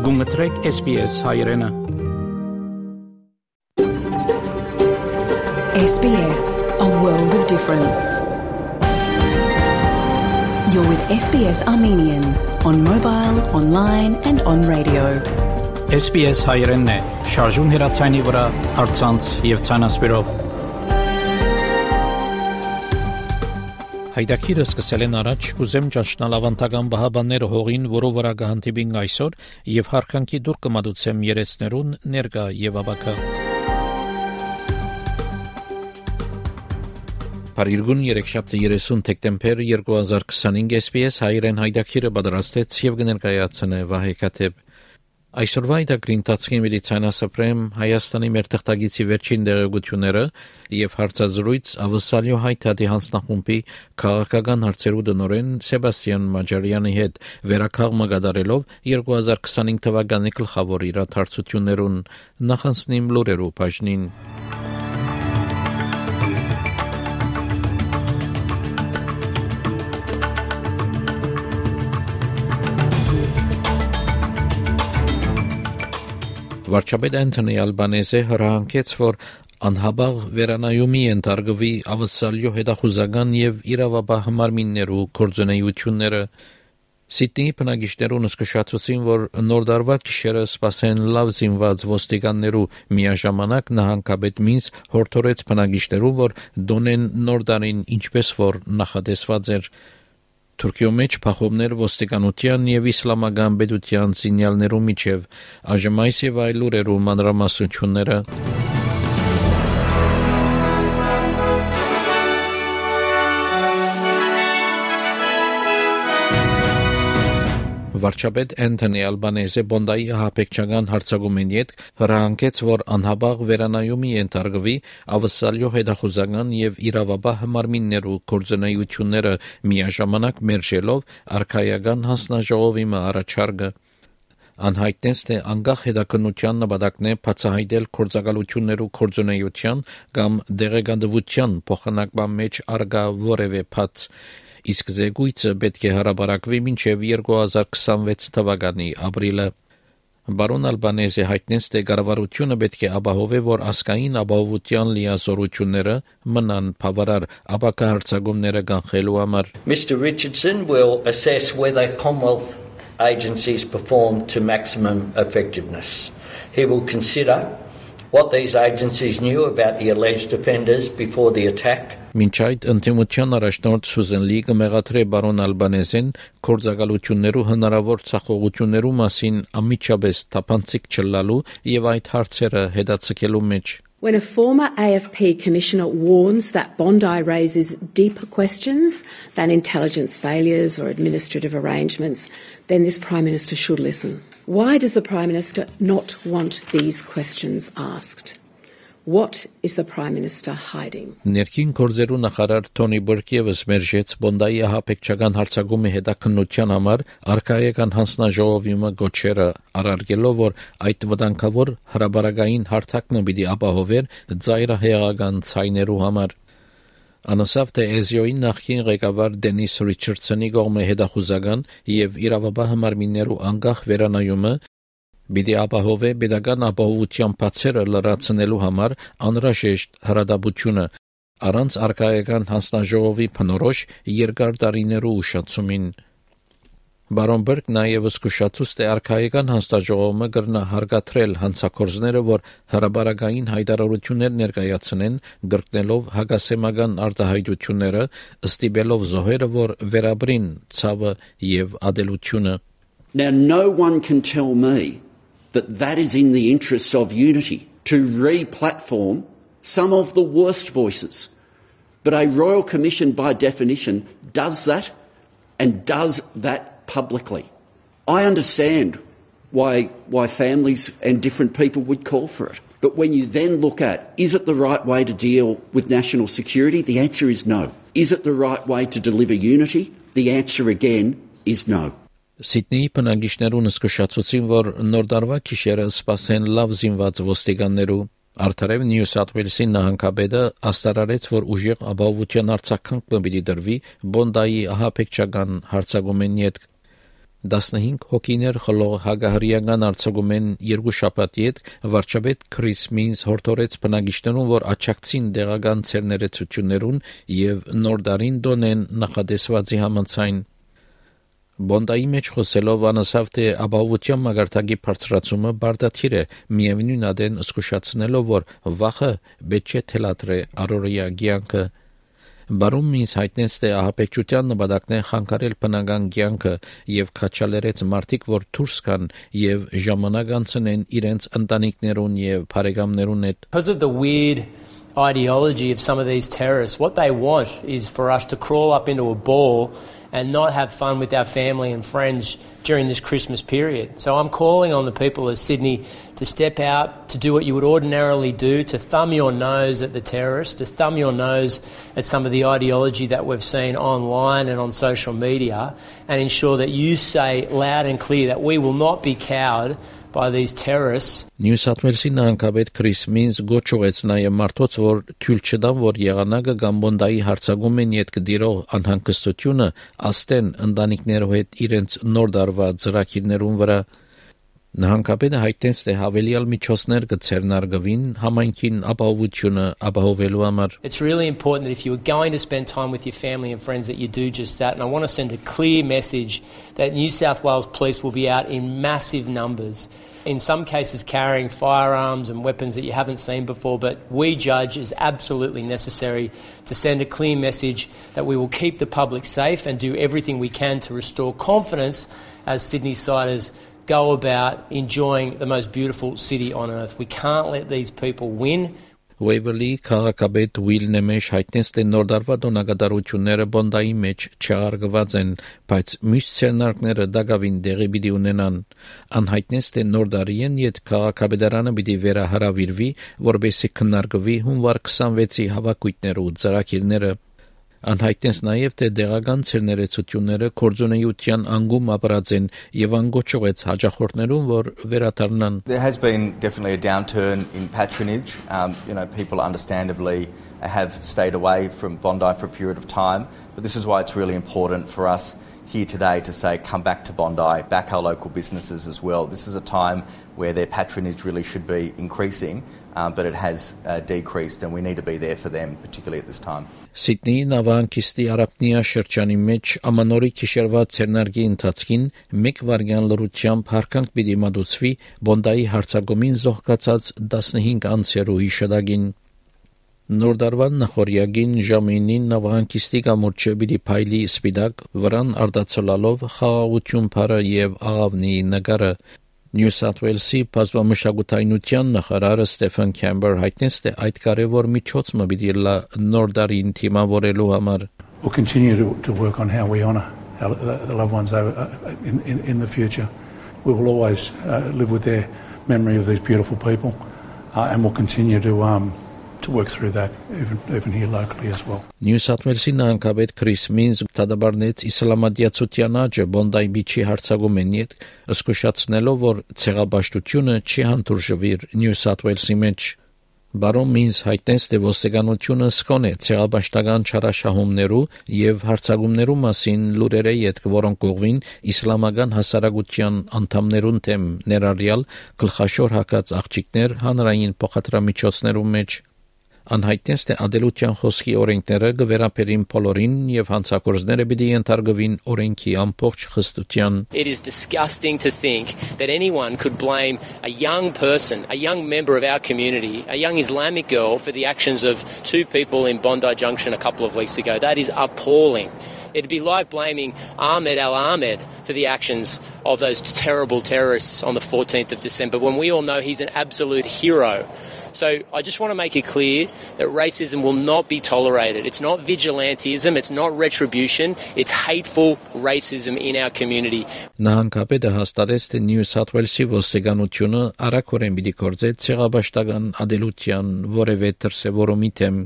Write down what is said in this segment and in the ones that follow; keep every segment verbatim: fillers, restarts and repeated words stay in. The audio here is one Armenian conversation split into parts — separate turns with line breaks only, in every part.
Գումտրեք S B S հայրենը։
S B S, a world of difference. You're with S B S Armenian on mobile, online and on radio.
S B S հայրենն է, շարժուն հեռացանի վրա, առցանց եւ ցանասպիրով։ Հայդակիրը սկսել են առաջ, կուզեմ ճանչնալ ավանդական բահաբանները հողին, որով վրա կհանդիպինք այսօր, եւ հարկանքի դուր կմատուցեմ երեցներուն ներկա եւ ավակա։ Փարիգուն երեքշաբթի երեսուն դեկտեմբեր երկու հազար քսանհինգ S B S հայրեն հայդակիրը պատրաստեց եւ կներկայացնե Վահե Քաթեփ։ Այսօրվա իդագրին տածքին մեդիցինասպրեմ Հայաստանի մեր թղթագիտի վերջին դերակցությունները եւ հարցազրույց ավսալյո հայտարարի հանձնախումբի քաղաքական հարցերու դնորեն Սեբաստիան Մաջարյանի հետ վերականգնումը կատարելով երկու հազար քսանհինգ թվականի գլխավոր իրադարձություններուն նախանցնիմ լուրերու բաժնին։ Վարչապետ Անթոնի Ալբանեզը հրահանգեց, որ անհաբաղ վերանայումի ենթարկվի ավսալյո հետախուզական եւ իրավաբահ մարմիններու գործունեությունները։ Սիդնեի բնակիչներուն զսկշացուցին, որ նոր դարվա գիշերը սպասեն լավ զինված ոստիկաններու միաժամանակ նահանգապետ Մինս հորդորեց բնակիչներուն, որ դոնեն նոր տարին ինչպես որ նախատեսված էր։ Թուրքիո մեջ փախովներ ոստիկանության եւ իսլամական պետության սինյալներու միջև այժմ այս եւ այլ լուրերու մանրամասնությունները։ Վարչապետ Անթոնի Ալբանեզը Բոնդայի հապեկչական հարցակումին հետ հրահանգեց, որ անհաբաղ վերանայումի ենթարկվի ավսալյո հետախուզական եւ իրավաբահ մարմիններու գործունեությունները միաժամանակ մերժելով արքայական հանձնաժողովի առաջարկը։ Անհայտնեց, թե անկախ հետաքննության նպատակն է բացահայտել գործակալություններու գործունեության կամ դեղեկատվության փոխանակման մեջ արգա որևէ փաց։ Իսկ զեկույցը պետք է հրապարակվի մինչև երկու հազար քսանվեց թվականի ապրիլը։ Բարոն Ալբանեզը հայտնեց, թե կառավարությունը պետք է ապահովի, որ ազգային ապահովության լիազորությունները մնան բավարար ապակա հարցակումները կանխելու համար։
Mister Richardson will assess whether Commonwealth agencies perform to maximum effectiveness. He will consider what these agencies knew about the alleged offenders before the attack.
Մինչ այդ ընդդիմության առաջնորդ Սուզեն Լի կմեղադրե բարոն Ալբանեզին գործակալություններու հնարավոր ցախողություններու մասին ամիջապես թափանցիկ չլալու եւ այդ հարցերը հետաձգելու մեջ։
When a former A F P commissioner warns that Bondi raises deeper questions than intelligence failures or administrative arrangements, then this Prime Minister should listen. Why does the Prime Minister not want these questions asked? What is the Prime Minister hiding?
Ներքին գործերու նախարար Թոնի Բուրկևս մերժեց Բոնդայի հապեկչական հարցակումի հետաքննության համար արքայական հանձնաժողովի գոչերը արարգելով, որ այդ վտանգավոր հրաբարակային հարթակը պիտի ապահովեր ծայրահեղական ցայներու համար։ Անասավ թե Էզիոյի նախկին ղեկավար Դենիս Ռիչարդսոնի կողմը հետախուզական եւ իրավաբահ մարմիններու անկախ վերանայումը Բիդի ապահովե պետական ապահովության բացերը լրացնելու համար անհրաժեշտ հրադապությունը առանց արքայական հանձնաժողովի փնորոշ երկար տարիներու ուշացումին։ Բարոն Բերկ նաև զսկուշացուց թե արքայական հանձնաժողովը կրնա հարգադրել հանցագործները, որ հրաբարակային հայտարարություններ ներկայացնեն, գրկնելով հակասեմական արտահայտությունները, ստիպելով զոհերը, որ վերաբրին ցավը եւ ադելությունը։
Now no one can tell me that that is in the interests of unity, to re-platform some of the worst voices. But a Royal Commission, by definition, does that and does that publicly. I understand why, why families and different people would call for it. But when you then look at, is it the right way to deal with national security? The answer is no. Is it the right way to deliver unity? The answer again is no.
Սիդնեի բնակիչներուն զսկշացուցին, որ նոր դարվա գիշերը սպասեն լավ զինված ոստիկաններու։ Արդարև Նյու Սաութ Ուելսի նահանգապետը աստարարեց, որ ուժեղ ապահովության արձագանքը պիտի դրվի Բոնդայի ահաբեկչական հարձակումին հետ։ տասնհինգ հոգիներ խլող հագահրիական արձակումեն երկու շաբաթի հետ վարչապետ Քրիս Մինս հորդորեց բնակիչներուն, որ աչակցին դեղական ցերներեցություններուն եւ նոր դարին դոնեն նախադեсվածի համաձայն։ Բոնդայի մեջ խոսելով անասավ թե ապահովության մագարտակի բարձրացումը բարդաթիր է, միևնույն ադեն զսկուշացնելով, որ վախը պետք է թելադրե առօրյա կյանքը։ Բարոն Մինս հայտնեց, թե ահաբեկչության նպատակն է խանգարել բնական կյանքը եւ քաչալերեց մարդիկ, որ դուրս գան եւ ժամանակ անցնեն իրենց ընտանիքներուն եւ բարեկամներուն հետ։
Because of the weird ideology of some of these terrorists, what they want is for us to crawl up into a ball and not have fun with our family and friends during this Christmas period. So I'm calling on the people of Sydney to step out, to do what you would ordinarily do, to thumb your nose at the terrorists, to thumb your nose at some of the ideology that we've seen online and on social media, and ensure that you say loud and clear that we will not be cowed by these terrorists.
Նյու Սաթ Ուելսի նահանգապետ Քրիս Մինս գոչուեց նաև մարդոց, որ թույլ չտան, որ եղանակը կամ Բոնդայի հարձակումեն յետ կդիրող անհանգստությունը աստեն ընտանիքներով հետ իրենց նոր դարվա ծրագիրներուն վրա։ Նահանգապետը հայտնեց, թե հավելյալ միջոցներ կցերնարգվին համայնքին ապահովությունը ապահովելու համար։
It's really important that if you are going to spend time with your family and friends that you do just that, and I want to send a clear message that New South Wales Police will be out in massive numbers, in some cases carrying firearms and weapons that you haven't seen before, but we judge is absolutely necessary to send a clear message that we will keep the public safe and do everything we can to restore confidence as Sydney-siders go about enjoying the most beautiful city on earth. We can't let these people win.
Waverley քաղաքապետ Will Nemesh հայտնեց, թե նոր դարվա տոնակատարությունները Բոնդայի մեջ չարգված են, բայց միշտ ցերնարկները դակավին դեղի պիտի ունենան։ Անհայտնեց, թե նոր դարին յետ քաղաքապետարանը պիտի վերահրավիրվի, որպեսզի քննարկվի հունվար քսանվեցի հավաքույթները ու ծրագիրները։ Անհայտնեց նաև, թե դեղական ցերներեցությունները կորձունեության անգում ապրած են եւ անգոչողեց հաջախորդներուն, որ վերադառնան։
There has been definitely a downturn in patronage. Um, you know, people understandably have stayed away from Bondi for a period of time, but this is why it's really important for us here today to say come back to Bondi, back our local businesses as well. This is a time where their patronage really should be increasing, um, but it has uh, decreased, and we need to be there for them, particularly at this time.
Սիդնեի նավահանգիստի Արաբնիա շրջանի մեջ ամանորի գիշերվա ցերնարգի ընթացքին մեկ վայրկյան լրությամբ հարկանք պիտի մատուցվի Բոնդայի հարձակումին զոհկացած տասնհինգ անձերու հիշատակին։ Նոր դարվան նախորյակին ժամինին նավահանգիստի կամուրջը պիտի փայլի սպիտակ վրան արտացոլալով խաղաղություն բարը եւ աղավնի նկարը։ Նյու Սաթ Ուելսի բազմամշակութայնության նախարարը Ստեֆեն Քեմբեր հայտնեց, թե այդ կարևոր միջոցը պիտի լա նոր դարին թիմավորելու համար։
We'll continue to, to work on how we honour our, the loved ones over, uh, in, in, in the future. We will always uh, live with their memory of these beautiful people, uh, and we'll continue to um, to work through that even even here locally as well.
Նյու Սաթ Ուելսի նահանգապետ Քրիս Մինս դադարեցի իսլամադիացության աճը Բոնդայի միջի հարձակումին հետ, զսկուշացնելով, որ ցեղաբաշխությունը չի հանդուրժվիր Նյու Սաթ Ուելսի մեջ։ Բարոն Մինս հայտնեց, թե ոստիկանությունը սկոն է ցեղաբաշխական չարաշահումներու եւ հարձակումներու մասին լուրերը յետ որոնք կողվին իսլամական հասարակության անդամներուն դեմ ներառյալ գլխաշոր հակած աղջիկներ հանրային փոխադրամիջոցներու մեջ։ Անհայտնեց, թե ադելության խոսքի օրենքները գվերապերին բոլորին եւ հանցագործները պիտի ենթարկվին օրենքի ամբողջ խստության։
It is disgusting to think that anyone could blame a young person, a young member of our community, a young Islamic girl for the actions of two people in Bondi Junction a couple of weeks ago. That is appalling. It'd be like blaming Ahmed Al-Ahmed for the actions of those terrible terrorists on the fourteenth of December, when we all know he's an absolute hero. So I just want to make it clear that racism will not be tolerated. It's not vigilantism, it's not retribution, it's hateful racism in our community.
Նահանգապետը հաստատեց, թե Նյու Սաթ Ուելսի ոստիկանությունը արագորեն պիտի գործի ցեղաբաշխական ադելության որևէ դրսևորումի դեմ։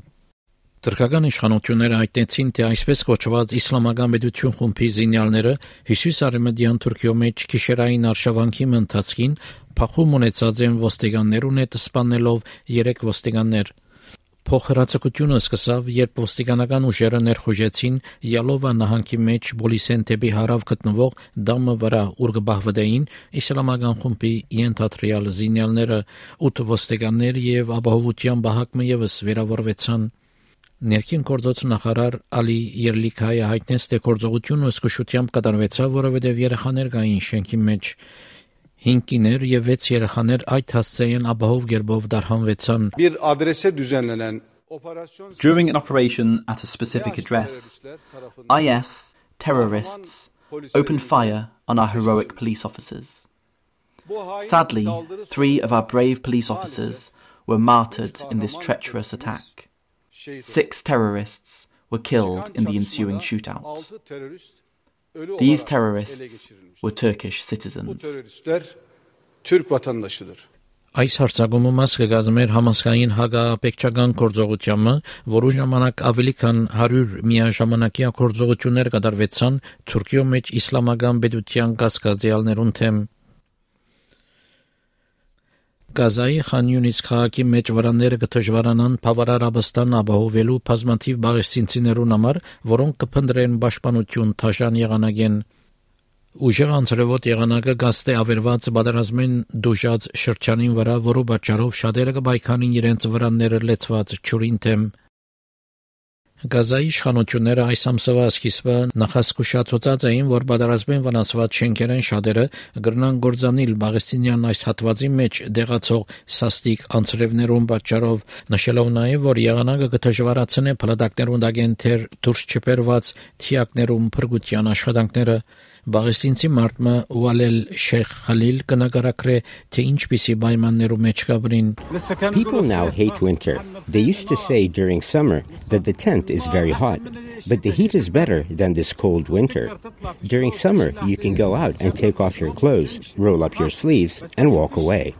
Թուրքական իշխանությունները հայտնեցին, թե այսպես կոչված իսլամական պետություն խումբի զինյալները հյուսիսարևմտյան Թուրքիո մեջ գիշերային արշավանքի ընթացքին փախում ունեցած են ոստիկաններուն հետ սպանելով երեք ոստիկաններ։ Փոխհրաձգությունը սկսավ, երբ ոստիկանական ուժերը ներխուժեցին Յալովա նահանգի մեջ Բոլիսեն դեպի հարավ գտնվող դամը վրա, ուր գբահվդեին իսլամական խումբի ենթադրյալ զինյալները, ութ ոստիկաններ եւ ապահովության բահակը եւս վիրավորվեցան։ Ներքին գործոց նախարար Ալի Երլիքայը հայտնեց, թե գործողությունը զգուշությամբ կատարվեցավ, որովհետև երեխաներ կային շենքի մեջ։ Հինգ կիներ եւ վեց երեխաներ այդ հասցեին ապահով գերբով դարհանվեցան։
During an operation at a specific address, I S terrorists opened fire on our heroic police officers. Sadly, three of our brave police officers were martyred in this treacherous attack. Six terrorists were killed in the ensuing shootout. These terrorists were Turkish citizens.
Այս հարցակումը մաս կգազմեր համասկային հագապետչական գործողությամը, որու ժամանակ ավելի քան հարյուր միաժամանակյա գործողություններ կատարվեցան Թուրքիո մեջ իսլամական պետության կասկածյալներուն թեմ։ Գազայի Խան Յունիս քաղաքի մեջ վրանները կդժվարանան բավարար ապստան ապահովելու բազմաթիվ բաղեստինցիներուն համար, որոնք կփնտրեն պաշտպանություն թաշան եղանակեն։ Ուժեղ անձրևոտ եղանակը գաստե ավերված պատերազմին դուժած շրջանին վրա, որու պատճառով շատերը կբայքանին իրենց վրանները լեցված ջուրին թեմ։ Գազայի իշխանությունները այս ամսվա սկիզբը նախազգուշացուցած էին, որ պատերազմին վնասված շենքերեն շատերը կգրնան գործանել Պաղեստինյան այս հատվածի մեջ դեղացող սաստիկ անձրևներուն պատճառով, նշելով նաև, որ եղանակը կդժվարացնի փլատակներուն դագենթեր դուրս չբերված թիակներուն փրկության աշխատանքները։ Պաղեստինցի մարդը Ուալել Շեյխ Խալիլ կնկարագրե, թե ինչպիսի պայմաններու մեջ կաբրին։
People now hate winter. They used to say during summer that the tent is very hot, but the heat is better than this cold winter. During summer, you can go out and take off your clothes, roll up your sleeves, and walk away.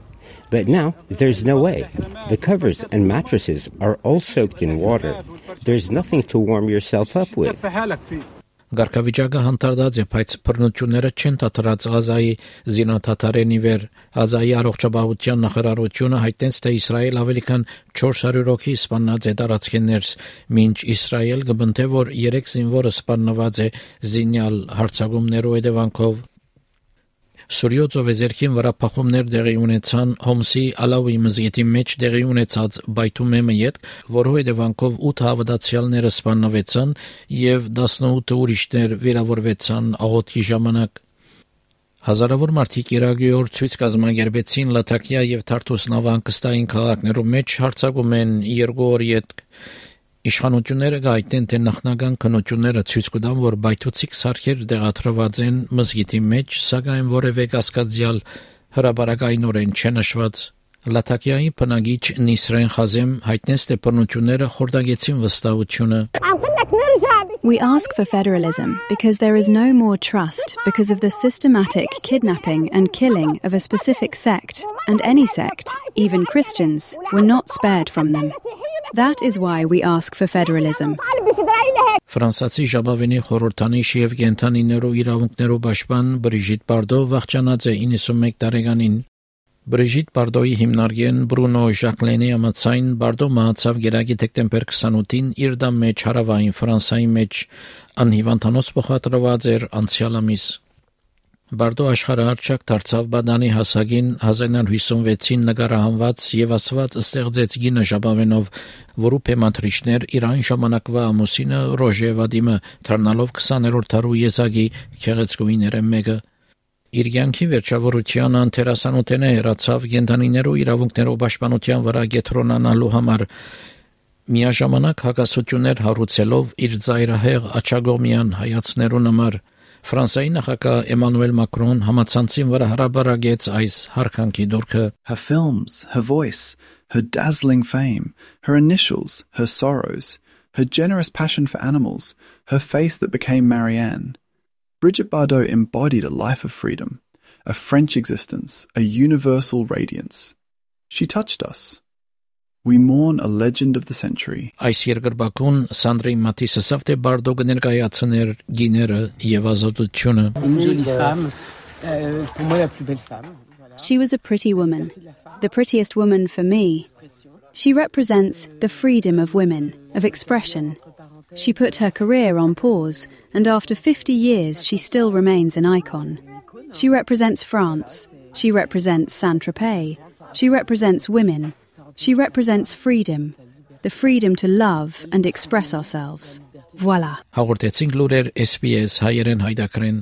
But now, there's no way. The covers and mattresses are all soaked in water. There's nothing to warm yourself up with.
Գարքավիճակը հանդարտած է, բայց բռնությունները չեն դադարած Գազայի զինաթաթարենի վեր։ Գազայի առողջապահության նախարարությունը հայտնեց, թե Իսրայել ավելի քան չորս հարյուր հոգի սպանած է տարածքներս, մինչ Իսրայել կբնթե, որ երեք զինվորը սպանված է զինյալ հարձակումներու հետևանքով։ Սուրիո ծովեզերքին վրա փախումներ տեղի ունեցան Հոմսի Ալավի մզգիթի մեջ տեղի ունեցած բայթումեմը յետ, որու հետևանքով ութ հավատացյալները սպանվեցան եւ տասնութ ուրիշներ վիրավորվեցան աղոթքի ժամանակ։ Հազարավոր մարդիկ Իրաքի ցույց կազմակերպեցին Լաթակիա եւ Թարթուս նավահանգստային քաղաքներում մեջ հարձակում են երկու օր յետ։ Իշխանությունները գայտեն, թե նախնական քննությունները ցույց կտան, որ բայթուցիկ սարքեր տեղադրված են մզգիթի մեջ, սակայն որևէ կասկածյալ հրաբարակայնորեն չնշված։ Լաթակիայի բնագիչ Նիսրեն Խազեմ հայտնեց, թե բռնությունները խորտակեցին վստահությունը։
We ask for federalism because there is no more trust because of the systematic kidnapping and killing of a specific sect, and any sect, even Christians, were not spared from them. That is why we ask for federalism.
Ֆրանսիացի ժապավենի խորհրդանիշ եւ կենթանիներու իրավունքներու պաշտպան Բրիժիտ Բարդո վախճանած է իննսունմեկ տարեկանին։ Բրիժիտ Բարդոյի հիմնարկեն Բրունո Ժակլենի ամացայն Բարդո մահացավ գերագի դեկտեմբեր քսանութին իր դամ մեջ հարավային Ֆրանսայի մեջ անհիվանդանոց փոխադրված էր անցյալ ամիս։ Բարդո աշխարհահռչակ դարձավ Բադանի հասակին հազար իննյոթ հիսունվեցին նկարահանված եւ ասված ստեղծեց գինը ժապավենով, որու փեմատրիչներ Իրան ժամանակվա ամուսինը Ռոժե Վադիմը դառնալով քսաներորդ դարու եզակի քեղեցկուիները մեկը։ Իր յանքի վերջավորության անթերասանութենը հեռացավ կենդանիներու իրավունքներով պաշտպանության վրա գետրոնանալու համար, միաժամանակ հակասություններ հարուցելով իր ծայրահեղ աչագոմյան հայացներուն համար։ Ֆրանսիայի նախագահ Էմանուել Մակրոն համացանցին վրա հրաբարագեց այս հարկանքի դուրքը։
Her films, her voice, her dazzling fame, her initials, her sorrows, her generous passion for animals, her face that became Marianne. Brigitte Bardot embodied a life of freedom, a French existence, a universal radiance. She touched us. We mourn a legend of the century.
Այս երկրպագուն Սանդրի Մատիսը սավտե Բարդո կներկայացներ գիները եւ ազատությունը։
She was a pretty woman, the prettiest woman for me. She represents the freedom of women, of expression. She put her career on pause, and after fifty years she still remains an icon. She represents France. She represents Saint-Tropez. She represents women. She represents freedom, the freedom to love and express ourselves. Voilà.
Հաղորդեցինք լուրեր S B S հայերեն հայդակրեն.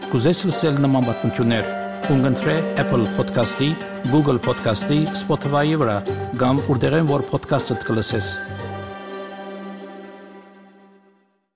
Կուզես լսել նման բանություններ, կընտրե Apple Podcast-ի, Google Podcast-ի, Spotify-ի վրա, կամ որտեղեն որ podcast-ը կլսես։